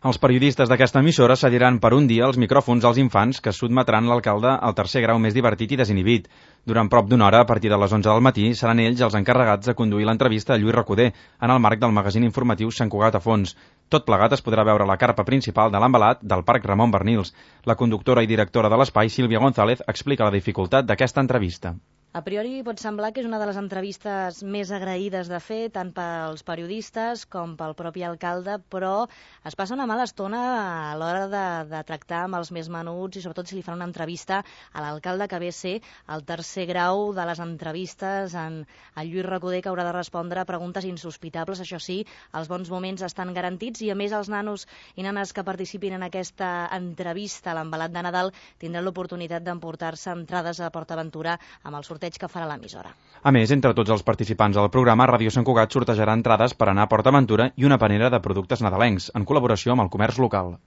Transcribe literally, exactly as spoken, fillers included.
Els periodistes d'aquesta emissora cediran per un dia els micròfons als infants que sotmetran l'alcalde al tercer grau més divertit i desinhibit. Durant prop d'una hora, a partir de les onze del matí, seran ells els encarregats de conduir l'entrevista a Lluís Recoder en el marc del magazín informatiu Sant Cugat a fons. Tot plegat es podrà veure a la carpa principal de l'embalat del Parc Ramon Bernils. La conductora i directora de l'espai, Sílvia González, explica la dificultat d'aquesta entrevista. A priori pot semblar que és una de les entrevistes més agraïdes de fer, tant pels periodistes com pel propi alcalde, però es passa una mala estona a l'hora de, de tractar amb els més menuts i sobretot si li fan una entrevista a l'alcalde que ve a ser el tercer grau de les entrevistes en el Lluís Recoder, que haurà de respondre a preguntes insospitables. Això sí, els bons moments estan garantits i a més els nanos i nanes que participin en aquesta entrevista a l'embalat de Nadal tindran l'oportunitat d'emportar-se entrades a PortAventura amb el sorteig que farà l'emissora. A més, entre tots els participants del programa, Ràdio Sant Cugat sortejarà entrades per anar a PortAventura i una panera de productes nadalencs, en col·laboració amb el comerç local.